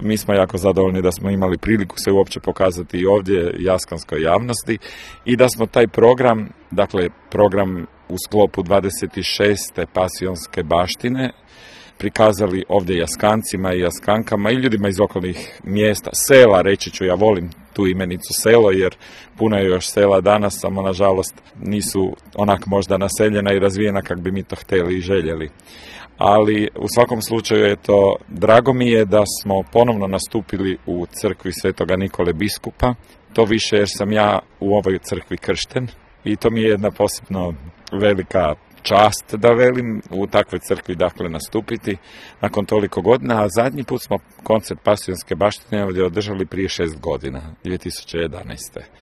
mi smo jako zadovoljni da smo imali priliku se uopće pokazati i ovdje jaskanskoj javnosti i da smo taj program, dakle program u sklopu 26. pasionske baštine, prikazali ovdje jaskancima i jaskankama i ljudima iz okolnih mjesta, sela, reći ću, ja volim tu imenicu selo jer puno je još sela danas, samo nažalost nisu onak možda naseljena i razvijena kak bi mi to htjeli i željeli. Ali u svakom slučaju drago mi je da smo ponovno nastupili u crkvi Svetoga Nikole Biskupa, to više jer sam ja u ovoj crkvi kršten i to mi je jedna posebno velika čast da velim u takvoj crkvi dakle nastupiti nakon toliko godina, a zadnji put smo koncert pasionske baštine ovdje održali prije 6 godina, 2011.